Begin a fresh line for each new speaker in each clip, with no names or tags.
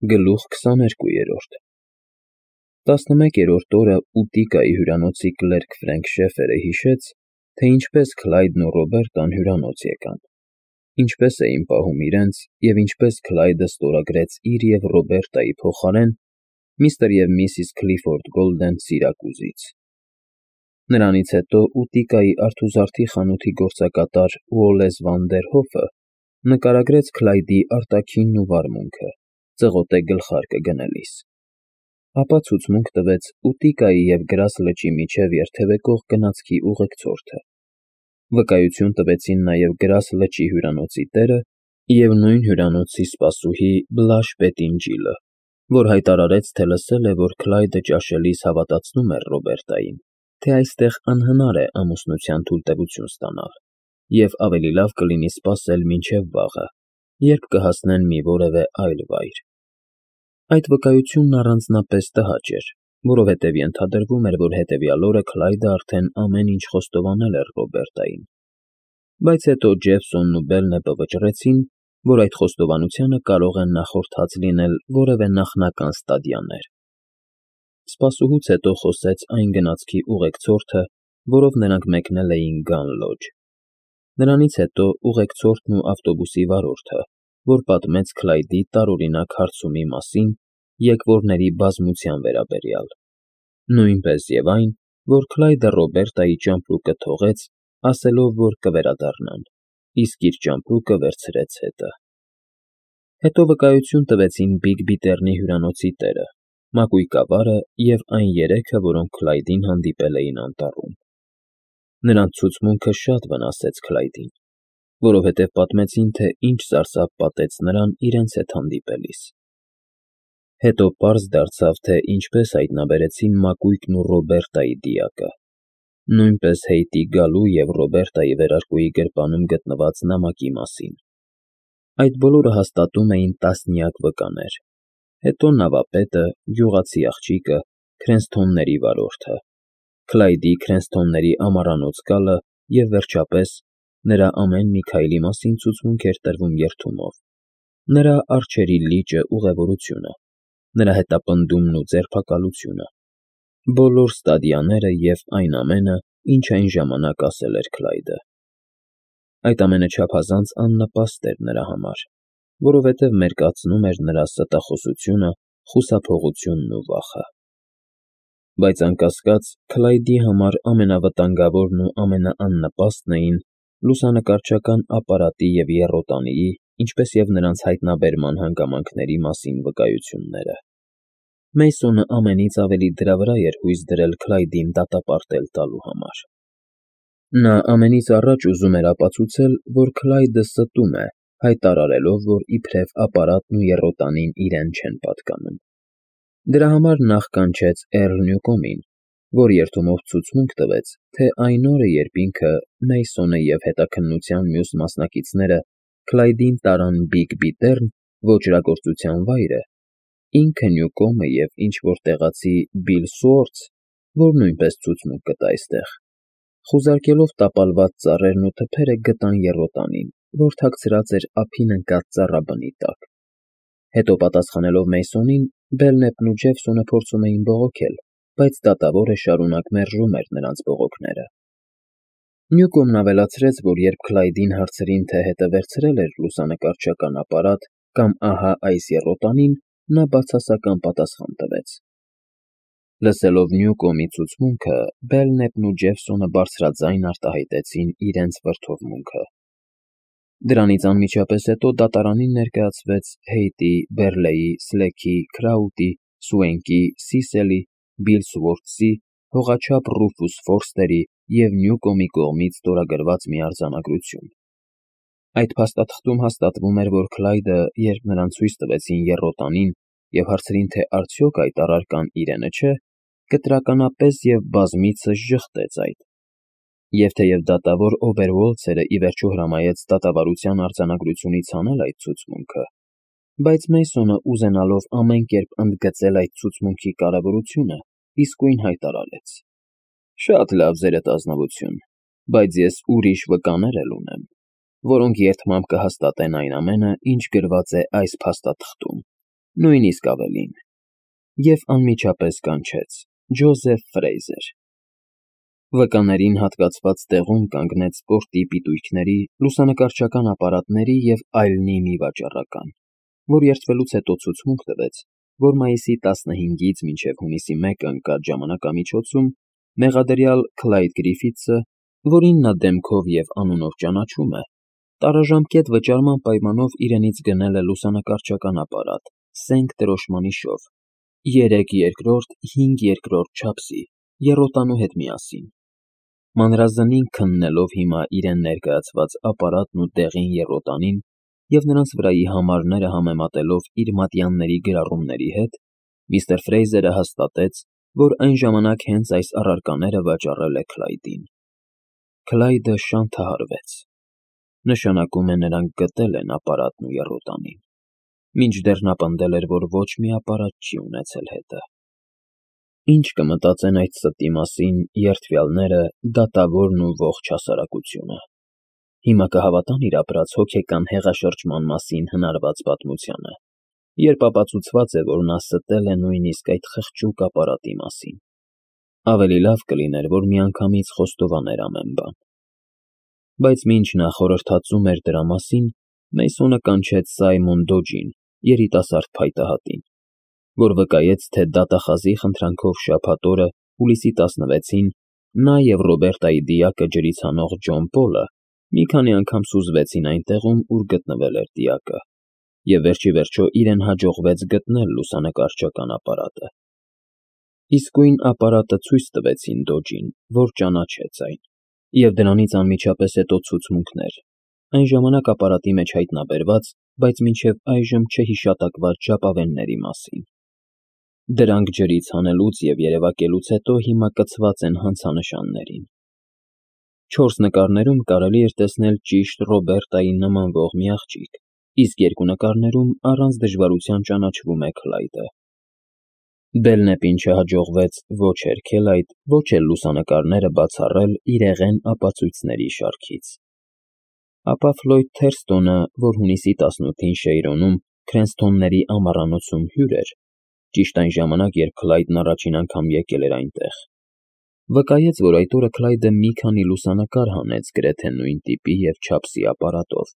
Գլուխ 22 11-րդ օրը Ուտիկայի հյուրանոցի կլերկ Ֆրենք Շեֆերը հիշեց, թե ինչպես Քլայդն ու Ռոբերտան հյուրանոց եկան, ինչպես էին պահում իրենց և ինչպես Քլայդը ստորագրեց իր և Ռոբերտայի փոխարեն միստր և միսիս Քլիֆորդ Գոլդեն սիրակուզից։ Նրանից հետո Ուտիկայի արթուզարդի խանութի գործակատար Ուոլլես Վանդերհոֆը նկարագրեց Քլայդի արտաքինն ու վարմունքը, ծղոտե գլխարկը գնելիս, ապա ցուցմունք տվեց Ուտիկայի և Գրաս լճի միջև երթևեկող գնացքի ուղեկցորդը, վկայություն տվեցին նաև Գրաս լճի հյուրանոցի տերը և նույն հյուրանոցի սպասուհի Բլաշ Պետինջիլը, որ հայտարարեց, թե լսել է, որ Քլայդը ճաշելիս հավատացնում էր Ռոբերտային, թե այստեղ անհնար է ամուսնության թույլտվություն ստանալ, և ավելի լավ կլինի սպասել մինչև վաղը, երբ կհասնեն մի որևէ այլ վայր։ Այդ վկայությունն առանձնապես տհաճ էր, որովհետև ենթադրվում էր, որ հետևյալ օրը Քլայդը արդեն ամեն ինչ խոստովանել էր Ռոբերտային, բայց հետո Ջեֆսոնն ու Բելնեպը վճռեցին, որ այդ խոստովանությանը կարող են նախորդած լինել որևէ նախնական ստադիաներ։ Սպասուհուց հետո խոսեց այն գնացքի ուղեկցորդը, որով նրանք մեկնել էին Գան Լոջ։ Նրանից հետո ուղեկցորդն ու ավտոբուսի վարորդը, որ պատմեց Քլայդի տարօրինակ հարցումի մասին եկվորների բազմության վերաբերյալ, նույնպես և այն, որ Քլայդը Ռոբերտայի ճամպրուկը թողեց, ասելով, որ կվերադառնան, իսկ իր ճամպրուկը վերցրեց հետը։ Հետո վկայություն տվեցին Բիգ Բիթեռնի հյուրանոցի տերը, մակույկավարը և այն երեքը, որոնք Քլայդին հանդիպել էին անտառում։ Նրանց ցուցմունքը շատ վնասեց Քլայդին, որովհետև պատմեցին, թե ինչ սարսափ պատեց նրան իրենց հետ հանդիպելիս։ Հետո պարզ դարձավ, թե ինչպես հայտնաբերեցին մակույկն ու Ռոբերտայի դիակը, նույնպես Հեյթի գալու և Ռոբերտայի վերարկուի գրպանում գտնված նամակի մասին։ Այդ բոլորը հաստատում էին տասնյակ վկաներ, հետո նավապետը, գյուղացի աղջիկը, Քրենսթոնների վարորդը, Քլայդի Քրենսթոնների ամառանոց գալը և, վերջապես, նրա ամեն մի քայլի մասին ցուցմունք էր տրվում երդումով, նրա արջերի լիճը ուղևորությունը, նրա հետապնդումն ու ձերբակալությունը, բոլոր ստադիաները և այն ամենը, ինչ այն ժամանակ ասել էր Քլայդը։ Այդ ամենը չափազանց աննպաստ էր նրա համար, որովհետև մերկացնում էր նրա ստախոսությունը, խուսափողությունն ու վախը։ Բայց անկասկած Քլայդի համար ամենավտանգավորն ու ամենաաննպաստն էին լուսանկարչական ապարատի և եռոտանիի, ինչպես և նրանց հայտնաբերման հանգամանքների մասին վկայությունները։ Մեյսոնը ամենից ավելի դրա վրա էր հույս դրել Քլայդին դատապարտել տալու համար։ Նա ամենից առաջ ուզում էր ապացուցել, որ Քլայդը ստում է, հայտարարելով, որ իբրև ապարատն ու եռոտանին իրեն չեն պատկանում։ Դրա համար նախ կանչեց Էռլ Նյուկոմին, որ երդումով ցուցմունք տվեց, թե այն օրը, երբ ինքը, Մեյսոնը և հետաքննության մյուս մասնակիցները Քլայդին տարան Բիգ Բիթեռն ոճրագործության վայրը, ինքը Նյուկոմը և ինչ֊որ տեղացի Բիլ Սուորթս, որ նույնպես ցուցմունք կտա այստեղ, խուզարկելով տապալված ծառերն ու թփերը գտան եռոտանին, որ թաքցրած էր ափին ընկած ծառաբնի տակ։ Հետո պատասխանելով Մեյսոնին, Բելնեպն ու Ջեֆսոնը փորձում էին բողոքել, բայց դատավորը շարունակ մերժում էր նրանց բողոքները։ Նյուկոմն ավելացրեց, որ երբ Քլայդին հարցրին, թե հետը վերցրել էր լուսանկարչական ապարատ կամ ահա այս եռոտանին, նա բացասական պատասխան տվեց։ Լսելով Նյուկոմի ցուցմունքը, Բելնեպն ու Ջեֆսոնը բարձրաձայն արտահայտեցին իրենց վրդովմունքը։ Դրանից անմիջապես հետո դատարանին ներկայացվեց Հեյթի, Բերլեյի, Սլեքի, Քրաուտի, Սուենկի, Սիսելի, Բիլ Սուորթսի, հողաչափ Ռուֆուս Ֆորստերի և Նյուկոմի կողմից ստորագրված մի արձանագրություն։ Այդ փաստաթղթում հաստատվում էր, որ Քլայդը, երբ նրան ցույց տվեցին եռոտանին և հարցրին, թե արդյոք այդ առարկան իրենը չէ, կտրականապես և բազմիցս ժխտեց այդ։ Եվ թեև դատավոր Օբերվոլցերը ի վերջո հրամայեց դատավարության արձանագրությունից հանել այդ ցուցմունքը, բայց Մեյսոնը, ուզենալով ամեն կերպ ընդգծել այդ ցուցմունքի կարևորությունը, իսկույն հայտարարեց. «Շատ լավ, Ձերդ ազնվություն, բայց ես ուրիշ վկաներ էլ ունեմ, որոնք երդմամբ կհաստատեն այն ամենը, ինչ գրված է այս փաստաթղթում, նույնիսկ ավելին, և անմիջապես կանչեց. Ջոզեֆ Ֆրեյզեր։ Վկաներին հատկացված տեղում կանգնեց սպորտի պիտույքների, լուսանկարչական ապարատների և այլնի մի վաճառական, որ երդվելուց հետո ցուցմունք տվեց, որ մայիսի 15-ից մինչև հունիսի 1-ը ընկած ժամանակամիջոցում մեղադրյալ Քլայդ Գրիֆիթսը, որին նա դեմքով և անունով ճանաչում է, տարաժամկետ վճարման պայմանով իրենից գնել է լուսանկարչական ապարատ սենկ դրոշմանի շով, 3/2, 5/2 չափսի, եռոտանու հետ միասին, մանրազնին քննելով հիմա իրեն ներկայացված ապարատն ու դեղին եռոտանին և նրանց վրայի համարները համեմատելով իր մատյանների գրառումների հետ, միստր Ֆրեյզերը հաստատեց, որ այն ժամանակ հենց այս առարկաները վաճառել է Քլայդին։ Քլայդը շանթահարվեց։ Նշանակում է նրանք գտել են ապարատն ու եռոտանին, մինչդեռ նա պնդել էր, որ ոչ մի ապարատ չի ունեցել հետը։ Ինչ կմտածեն այդ ստի մասին երդվյալները, դատավորն ու ողջ հասարակությունը։ Հիմա կհավատան իր ապրած հոգեկան հեղաշրջման մասին հնարված պատմությանը, երբ ապացուցված է, որ նա ստել է նույնիսկ այդ խղճուկ ապարատի մասին։ Ավելի լավ կլիներ, որ միանգամից խոստովաներ ամեն բան։ Բայց մինչ նա խորհրդածում էր դրա մասին, Մեյսոնը կանչեց Սայմոն Դոջին, երիտասարդ փայտահատին, որ վկայեց, թե դատախազի խնդրանքով շաբաթ օրը, հուլիսի 16-ին, նա և Ռոբերտայի դիակը ջրից հանող Ջոն Պոլը մի քանի անգամ սուզվեցին այնտեղում, ուր գտնվել էր դիակը, և վերջիվերջո իրեն հաջողվեց գտնել լուսանկարչական ապարատը։ Իսկույն ապարատը ցույց տվեցին Դոջին, որ ճանաչեց այն, և դրանից անմիջապես հետո ցուցմունքներ, այն ժամանակ ապարատի մեջ հայտնաբերված, բայց մինչև այժմ չհիշատակված ժապավենների մասին։ Դրանք ջրից հանելուց և երևակելուց հետո հիմա կցված են հանցանշաններին։ 4 նկարներում կարելի էր տեսնել ճիշտ Ռոբերտային նմանվող մի աղջիկ, իսկ 2 նկարներում առանց դժվարության ճանաչվում է Քլայդը։ Բելնեպին չհաջողվեց ոչ հերքել այդ, ոչ էլ լուսանկարները բացառել իրեղեն ապացույցների շարքից։ Ապա Ֆլոյդ Թերստոնը, որ հունիսի 18-ին Շեյրոնում Քրենսթոնների ամառանոցում հյուր էր, ճիշտ այն ժամանակ, երբ Քլայդն առաջին անգամ եկել էր այնտեղ, վկայեց, որ այդ օրը Քլայդը մի քանի լուսանկար հանեց գրեթե նույն տիպի և չափսի ապարատով,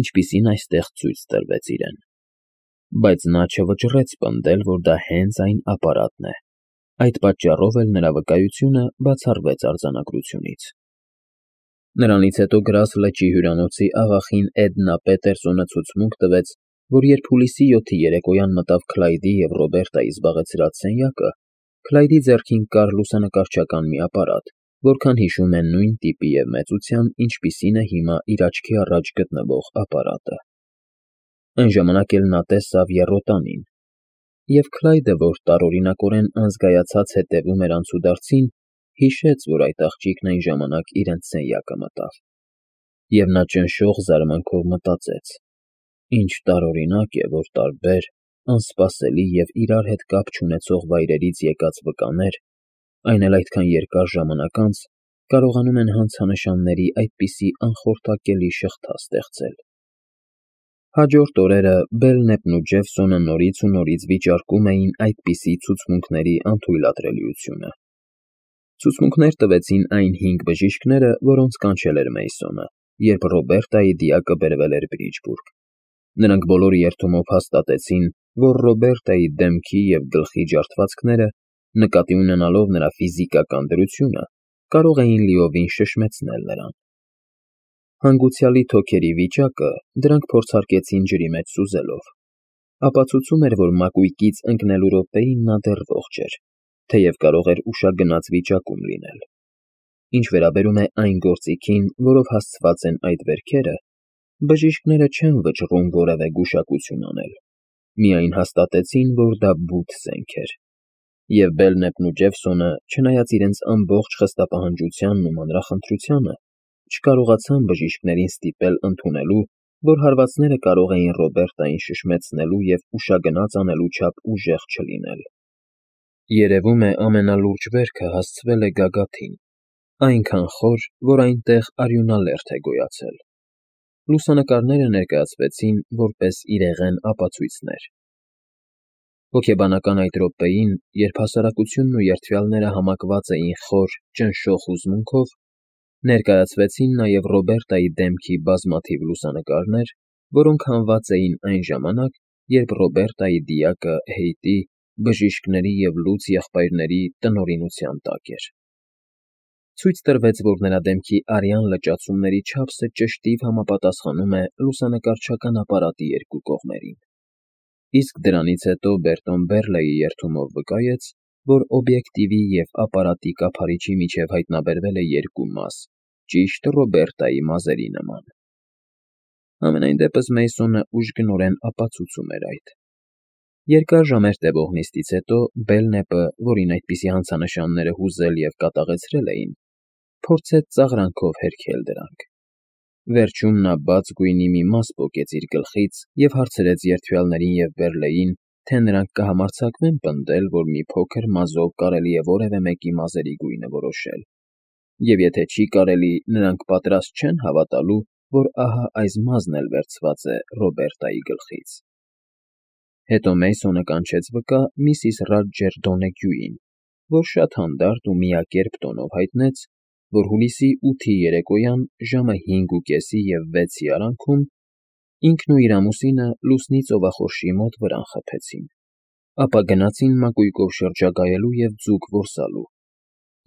ինչպիսին այստեղ ցույց տրվեց իրեն։ Բայց նա չվճռեց պնդել, որ դա հենց այն ապարատն է։ Այդ պատճառով էլ նրա վկայությունը բացառվեց արձանագրությունից։ Նրանից հետո Գրաս լճի հյուրանոցի աղախին Էդնա Պետերսոնը ցուցմունք տվեց, որ երբ հուլիսի 7-ի երեկոյան մտավ Քլայդի և Ռոբերտայի զբաղեցրած սենյակը, Քլայդի ձեռքին կար լուսանկարչական մի ապարատ, որքան հիշում է նույն տիպի և մեծության, ինչպիսին է հիմա իր աչքի առաջ գտնվող ապարատը։ Այն ժամանակ էլ նա տեսավ եռոտանին, և Քլայդը, որ տարօրինակորեն անզգայացած հետևում էր անցուդարձին, հիշեց, որ այդ աղջիկն այն ժամանակ իրենց սենյակը մտավ, և նա ճնշող զարմանքով մտածեց. ինչ տարօրինակ է, որ տարբեր, անսպասելի և իրար հետ կապ չունեցող վայրերից եկած վկաներ, այն էլ այդքան երկար ժամանակ անց, կարողանում են հանցանշանների այդպիսի անխորթակելի շղթա ստեղծել։ Հաջորդ օրերը Բելնեպն ու Ջեֆսոնը նորից ու նորից վիճարկում էին այդպիսի ցուցմունքների անթույլատրելիությունը։ Ցուցմունքներ տվեցին այն 5 բժիշկները, որոնց կանչել էր Մեյսոնը, երբ Ռոբերտայի դիակը բերվել էր Բրիջբուրգ։ Նրանք բոլոր երդումով հաստատեցին, որ Ռոբերտայի դեմքի և գլխի ջարդվածքները, նկատի ունենալով նրա ֆիզիկական դրությունը, կարող էին լիովին շշմեցնել նրան։ Հանգուցյալի թոքերի վիճակը դրանք փորձարկեցին ջրի մեջ սուզելով։ Ապացուցում էր, որ մակույկից ընկնելու րոպեին նա դեռ ողջ էր, թեև կարող էր ուշագնաց վիճակում լինել։ Ինչ վերաբերում է այն գործիքին, որով հասցված են այդ վերքերը, բժիշկները չեն վճռում որևէ գուշակություն անել, միայն հաստատեցին, որ դա բութ զենք էր։ Եվ Բելնեպն ու Ջեֆսոնը, չնայած իրենց ամբողջ խստապահանջությանն ու մանրախնդրությանը, չկարողացան բժիշկներին ստիպել ընդունելու, որ հարվածները կարող էին Ռոբերտային շշմեցնելու և ուշագնաց անելու չափ ուժեղ չլինել։ Երևում է ամենալուրջ վերքը հասցվել է գագաթին, այնքան խոր, որ այնտեղ արյունալերդ է գոյացել։ Լուսանկարները ներկայացվեցին որպես իրեղեն ապացույցներ։ Հոգեբանական այդ րոպեին, երբ հասարակությունն ու երդվյալները համակված էին խոր, ճնշող հուզմունքով, ներկայացվեցին նաև Ռոբերտայի դեմքի բազմաթիվ լուսանկարներ, որոնք հանված էին այն ժամանակ, երբ Ռոբերտայի դիակը Հեյտի, բժիշկների և լուծ եղբայրների տնօրինության տակ էր։ Ցույց տրվեց, որ նրա դեմքի արյան լճացումների չափսը ճշտիտ համապատասխանում է լուսանկարչական ապարատի երկու կողմերին։ Իսկ դրանից հետո Բերտոն Բերլեի երդումով վկայեց, որ օբյեկտիվի և ապարատի կափարիչի միջև հայտնաբերվել է երկու մաս, ճիշտ Ռոբերտայի մազերի նման։ Համենայն դեպս Մեյսոնը ուժգնորեն ապացուցում էր այդ։ Երկար ժամեր տևող նիստից հետո Բելնեպը, որին այդպիսի հանցանշանները հուզել և կատաղեցրել էին, փորձեց ծաղրանքով հերքել դրանք։ Վերջում նա բաց գույնի մի մաս պոկեց իր գլխից և հարցրեց երդվյալներին և Բերլեին, թե նրանք կհամարձակվեն պնդել, որ մի փոքր մազով կարելի է որևէ մեկի մազերի գույնը որոշել, և եթե չի կարելի, նրանք պատրաստ չեն հավատալու, որ ահա այս մազն էլ վերցված է Ռոբերտայի գլխից։ Հետո Մեյսոնը կանչեց վկա միսիս Ռադջեր Դոնեգյուին, որ շատ հանդարտ ու միակերպ տոնով հայտնեց, որ հուլիսի 8-ի երեկոյան ժամը 5:30 և 6-ի արանքում ինքն ու իր ամուսինը լուսնի ծովախորշի մոտ վրան խփեցին, ապա գնացին մակույկով շրջագայելու և ձուկ որսալու,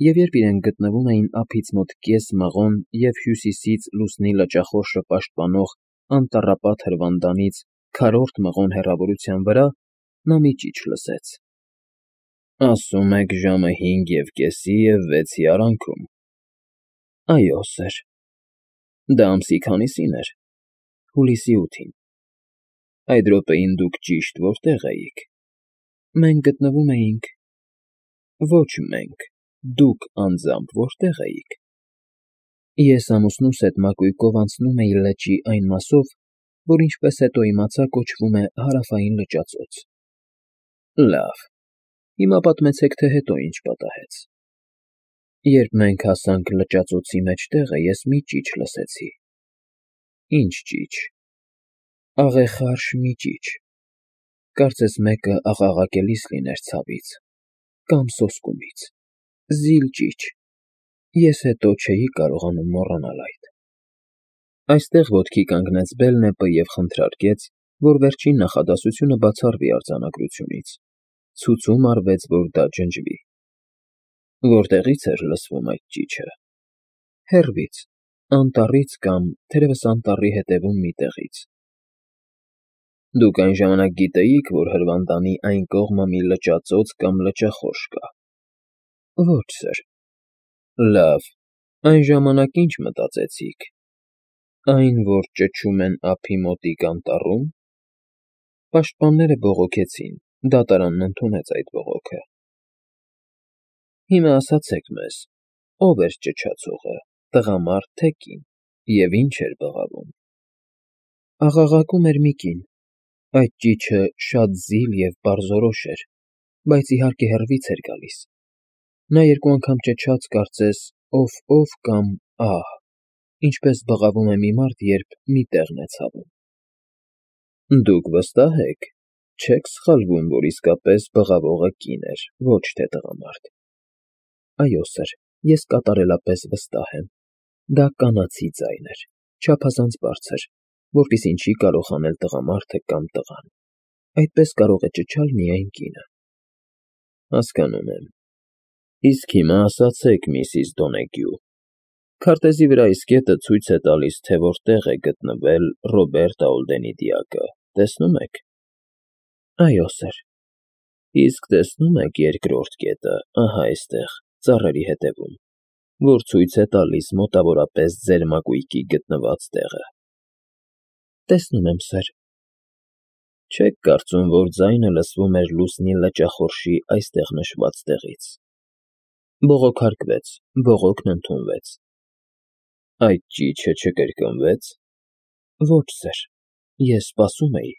և երբ իրենք գտնվում էին ափից մոտ կես մղոն և հյուսիսից լուսնի լճախորշը պաշտպանող անտառապատ հրվանդանից քառորդ մղոն հեռավորության վրա, նա մի ճիչ լսեց. «Ասում եք ժամը 5:30 և 6-ի արանքում»։ Այո, սըր։ Դա ամսի քանիսին էր։ Հուլիսի 8-ին։ Այդ րոպեին դուք ճիշտ որտե՞ղ էիք։ Մենք գտնվում էինք… Ոչ մենք, դուք անձամբ որտե՞ղ էիք։ Ես ամուսնուս հետ մակույկով անցնում էի լճի այն մասով, որ ինչպես հետո իմացա կոչվում է Հարավային լճածոց։ Լավ, հիմա պատմեցեք, թե հետո ինչ պատահեց։ Երբ մենք հասանք լճածոցի մեջտեղը, ես մի ճիչ լսեցի։ Ինչ ճիչ։ Աղեխարշ մի ճիչ։ Կարծես մեկը աղաղակելիս լիներ ցավից կամ սոսկումից։ Զիլ ճիչ։ Ես հետո չէի կարողանում մոռանալ այդ։ Այստեղ ոտքի կանգնեց Բելնեպը և խնդրարկեց, որ վերջին նախադասությունը բացառվի արձանագրությունից։ Ցուցում արվեց, որ դա ջնջվի։ Որտեղի՞ց էր լսվում այդ ճիչը։ Հեռվից, անտառից կամ, թերևս, անտառի հետևում մի տեղից։ Դուք այն ժամանակ գիտեիք, որ հրվանդանի այն կողմը մի լճածոց կամ լճախորշ կա։ Ոչ, սըր։ Լավ, այն ժամանակ ինչ մտածեցիք։ Այն, որ ճչում են ափի մոտիկ անտառում։ Պաշտպանները բողոքեցին, դատարանն ընդունեց այդ բողոքը։ Հիմա ասացեք մեզ, ով էր ճչացողը, տղամարդ թե կին, և ինչ էր բղավում։ Աղաղակում էր մի կին։ Այդ ճիչը շատ զիլ և պարզորոշ էր, բայց իհարկե հեռվից էր գալիս։ Նա երկու անգամ ճչաց, կարծես «ով» կամ «ահ», ինչպես բղավում է մի մարդ, երբ մի տեղն է ցավում։ Դուք վստահ եք, չեք սխալվում, որ իսկապես բղավողը կին էր, ոչ թե տղամարդ։ Այո, սըր, ես կատարելապես վստահ եմ։ Դա կանացի ձայն էր, չափազանց բարձր, որպեսզի չի կարող անել տղամարդը կամ տղան։ Այդպես կարող է ճչալ միայն կինը։ Հասկանում եմ։ Իսկ հիմա ասացեք, միսիս Դոնեգյու, քարտեզի վրա այս կետը ցույց է տալիս, թե որտեղ է գտնվել Ռոբերտ Աուլդենի դիակը, տեսնում եք։ Այո, սըր։ Իսկ տեսնում եք երկրորդ կետը, ահա այստեղ, ծառերի հետևում, որ ցույց է տալիս մոտավորապես ձեր մակույկի գտնված տեղը։ Տեսնում եմ, սըր։ Չեք կարծում, որ ձայնը լսվում էր լուսնի լճախորշի այստեղ նշված տեղից։ Բողոքարկվեց, բողոքն ընդունվեց։ Այդ ճիչը չկրկնվեց։ Ոչ, սըր, ես սպասում էի։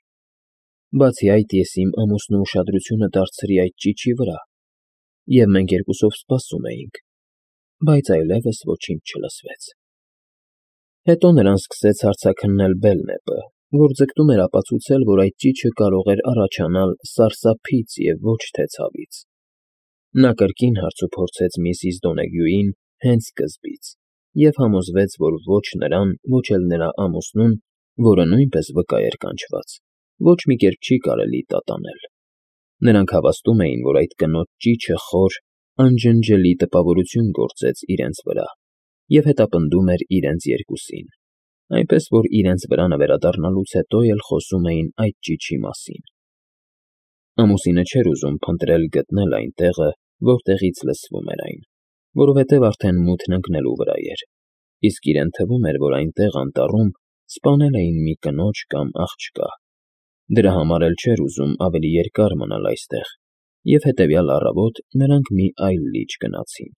Բացի այդ, ես իմ ամուսնու ուշադրությունը դարձրի այդ ճիչի վրա, և մենք երկուսով սպասում էինք, բայց այլևս ոչինչ չլսվեց։ Հետո նրան սկսեց հարցաքննել Բելնեպը, որ ձգտում էր ապացուցել, որ այդ ճիչը կարող էր առաջանալ սարսափից և ոչ թե ցավից։ Նա կրկին հարցուփորձեց միսիս Դոնեգյուին հենց սկզբից և համոզվեց, որ ոչ նրան, ոչ էլ նրա ամուսնուն, որը նույնպես վկա էր կանչված, ոչ մի կերպ չի կարելի տատանել։ Նրանք հավաստում էին, որ այդ կնոջ ճիչը խոր, անջնջելի տպավորություն գործեց իրենց վրա և հետապնդում էր իրենց երկուսին, այնպես որ իրենց վրանը վերադառնալուց հետո էլ խոսում էին այդ ճիչի մասին։ Ամուսինը չէր ուզում փնտրել գտնել այն տեղը, որտեղից լսվում էր այն, որովհետև արդեն մութն ընկնելու վրա էր, իսկ իրեն թվում էր, որ այնտեղ անտառում սպանել էին մի կնոջ կամ աղջկա։ Դրա համար էլ չէր ուզում ավելի երկար մնալ այստեղ, և հետևյալ առավոտ նրանք մի այլ լիճ գնացին։